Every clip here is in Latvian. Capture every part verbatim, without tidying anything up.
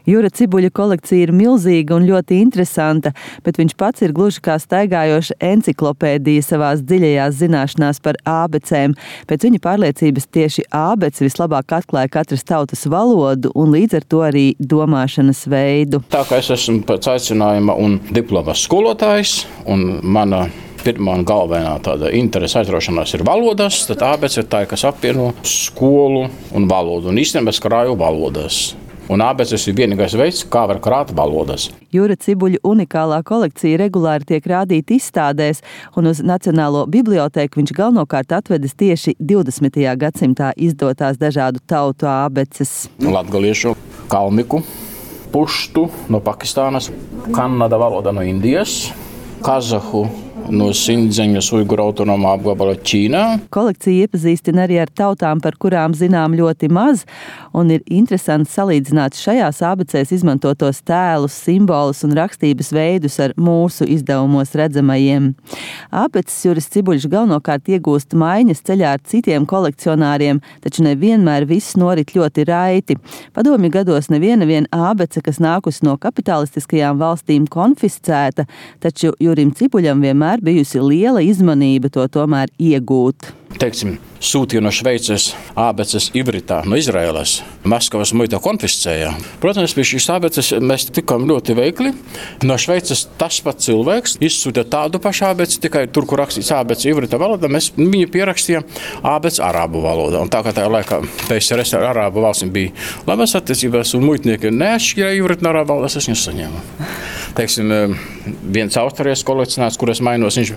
Jura Cibuļa kolekcija ir milzīga un ļoti interesanta, bet viņš pats ir gluži kā staigājoša enciklopēdija savās dziļajās zināšanās par ābecēm. Pēc viņa pārliecības tieši ābece vislabāk atklāja katras tautas valodu un līdz ar to arī domāšanas veidu. Tā kā es esmu pēc aicinājuma un diplomas skolotājs un mana pirmā un galvenā tāda interese aizraušanās ir valodas, tad ābece ir tā, kas apvieno skolu un valodu. Un īstenībā es krāju valodas. Un ābeces ir vienīgais veids, kā var krāt valodas. Jura Cibuļa unikālā kolekcija regulāri tiek rādīta izstādēs, un uz Nacionālo bibliotēku viņš galvenokārt atvedis tieši divdesmitajā gadsimtā izdotās dažādu tautu ābeces. Latgaliešu, kalmiku, puštu no Pakistānas, Kanada valoda no Indijas, kazahu no Sindzeņas Uiguru autonomā apgabala Ķīnā. Kolekcija iepazīstina arī ar tautām, par kurām zinām ļoti maz, un ir interesanti salīdzināt šajās ābecēs izmantotos tēlus, simbolus un rakstības veidus ar mūsu izdevumos redzamajiem. Ābeces Juris Cibuļš galvenokārt iegūst maiņas ceļā ar citiem kolekcionāriem, taču nevienmēr viss norit ļoti raiti. Padomju gados neviena vien ābece, kas nākusi no kapitalistiskajām valstīm, konfiscēta, taču Jurim Cibuļam vienmēr bijusi liela izmanība to tomēr iegūt. Teiksim, sūtīja no Šveices ābeces Ivritā no Izraēlas. Maskavas muita konfiscēja. Protams, pie šīs ābeces mēs tikām ļoti veikli. No Šveices tas pats cilvēks izsūta tādu pašu ābeci, tikai tur, kur rakstīts ābece Ivrita valoda, mēs viņu pierakstījām ābece arābu valoda. Un tā kā tajā laikā P S R S ar arābu valstīm bija labas attiecības un muitnieki neatšķirēja Ivrita no arābu valodas, es viņus saņēmu. Teiksim, viens austrijas kolekcionārs, kur es mainos, viņš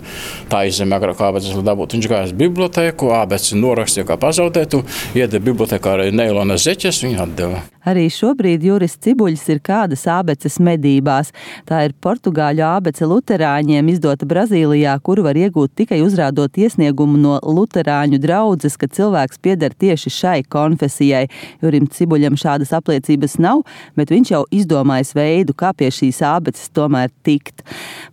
tā izzemē agrāk ābeces dabūt. Viņš gājas bibliotēku, ābeci norakstīja kā pazaudētu, iedeva bibliotekā arī neilona zeķes, viņu atdeva. Arī šobrīd Juris Cibuļs ir kādas ābeces medībās. Tā ir portugāļu ābece luterāņiem, izdota Brazīlijā, kuru var iegūt tikai uzrādot iesniegumu no luterāņu draudzes, ka cilvēks pieder tieši šai konfesijai. Jurim Cibuļam šādas apliecības nav, bet viņš jau izdomājis veidu, kā pie šīs ābeces tomēr tikt.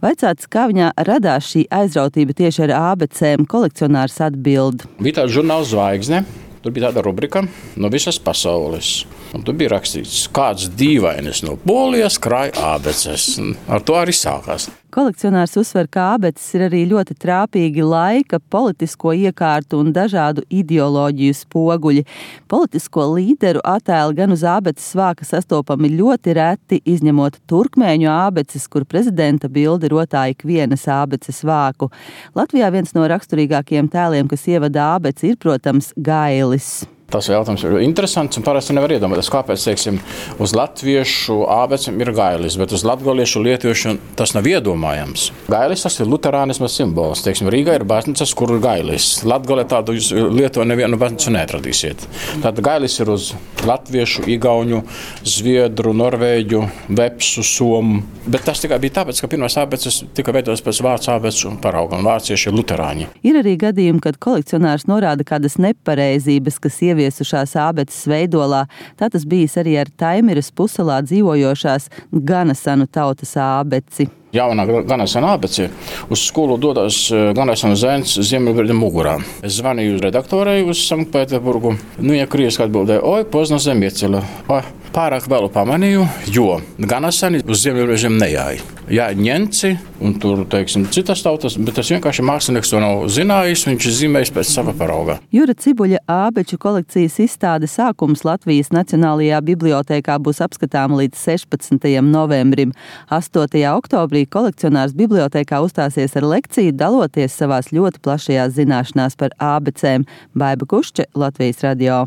Vaicāts, kā viņā radās šī aizrautība tieši ar ābecēm, kolekcionārs atbild. Bija tāds žurnāls Zvaigzne, tur bija tāda rubrika no visas pasaules. Un tur bija rakstīts, kāds dīvainis no Polijas krāj ābeces. Ar to arī sākās. Kolekcionārs uzsver, ka ābeces ir arī ļoti trāpīgi laika, politisko iekārtu un dažādu ideoloģiju spoguļi. Politisko līderu attēli gan uz ābeces vāka sastopami ļoti reti, izņemot turkmēņu ābeces, kur prezidenta bilde rotā ikvienas ābeces vāku. Latvijā viens no raksturīgākajiem tēliem, kas ievada ābeci, ir, protams, gailis. Tas jautājums ir interesants un parasti nevar iedomāties, kāpēc, teiksim, uz latviešu ābecēm ir gailis, bet uz latgaliešu lietuviešu tas nav iedomājams. Gailis tas ir luterānisma simbols. Teiksim, Rīgā ir baznīcas, kur ir gailis. Latgalē tādu jūs Lietuvā nevienu baznīcu neatradīsiet. Tad gailis ir uz latviešu, igauņu, zviedru, norvēģu, vepsu, somu. Bet tas tikai bija tāpēc, ka pirmās ābeces tika veidotas pēc vācu ābecu parauga, un vācieši ir luterāņi. Ir arī gadījumi, kad kolekcionārs norāda kādas nepareizības, kas ieviesušās ābeces veidolā. Tā tas bijis arī ar Taimiras puselā dzīvojošās Ganasanu tautas ābeci. Jaunā Ganasana ābece uz skolu dodas Ganasana zēns Ziemeļbrieļa mugurā. Es zvanīju redaktorei uz Sanktpēterburgu. Nu, ja krieviski atbildēja, oi, pozno zemiecela. Oi, pārāk vēlu pamanīju, jo Ganasani uz Ziemeļbrieļiem nejāja. Jā, ņenci un tur, teiksim, citas tautas, bet tas vienkārši mākslinieks to nav zinājis, viņš zīmējis pēc sava parauga. Jura Cibuļa ābeču kolekcijas izstāde sākums Latvijas Nacionālajā bibliotēkā būs apskatāma līdz sešpadsmitajam novembrim. astotajā oktobrī kolekcionārs bibliotēkā uzstāsies ar lekciju, daloties savās ļoti plašajās zināšanās par ābecēm. Baiba Kušče, Latvijas radio.